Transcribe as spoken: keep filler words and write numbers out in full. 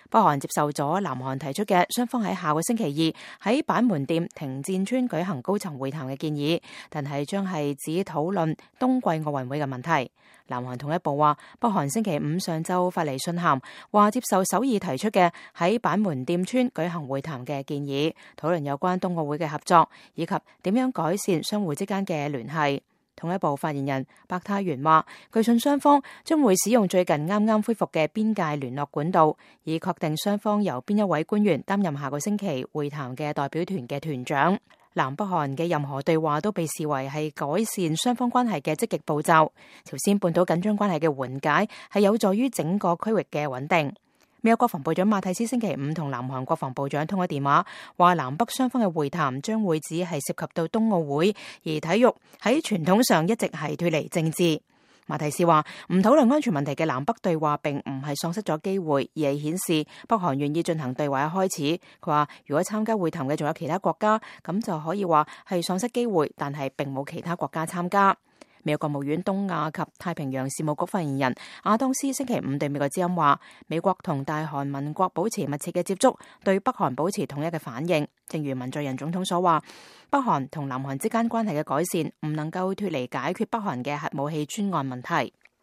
北韓接受咗南韓提出嘅雙方喺下個星期二喺板門店停戰村舉行高層會談嘅建議，但係將係只討論冬季奧運會嘅問題。南韓統一部話，北韓星期五上晝發嚟信函，話接受首爾提出嘅喺板門店村舉行會談嘅建議，討論有關冬奧會嘅合作，以及點樣改善相互之間嘅聯繫。統一部發言人白泰元話，據信雙方將會使用最近啱啱恢復嘅邊界聯絡管道，以確定雙方由邊一位官員擔任下個星期會談嘅代表團嘅團長。南北韓嘅任何對話都被視為係改善雙方關係嘅積極步驟。朝鮮半島緊張關係嘅緩解係有助於整個區域嘅穩定。美國國防部長馬蒂斯星期五同南韓國防部長通咗電話，話南北雙方嘅會談將會只係涉及到冬奧會，而體育喺傳統上一直係脫離政治。馬蒂斯話唔討論安全問題嘅南北對話並唔係喪失咗機會，而係顯示北韓願意進行對話嘅開始。佢話如果參加會談嘅仲有其他國家，咁就可以話係喪失機會，但係並冇其他國家參加。美國國務院東亞及太平洋事務局發言人亞當斯星期五對美國之音話，美國同大韓民國保持密切嘅接觸，對北韓保持統一嘅反應。正如文在寅總統所話，北韓同南韓之間關係嘅改善唔能夠脫離解決北韓嘅核武器專案問題。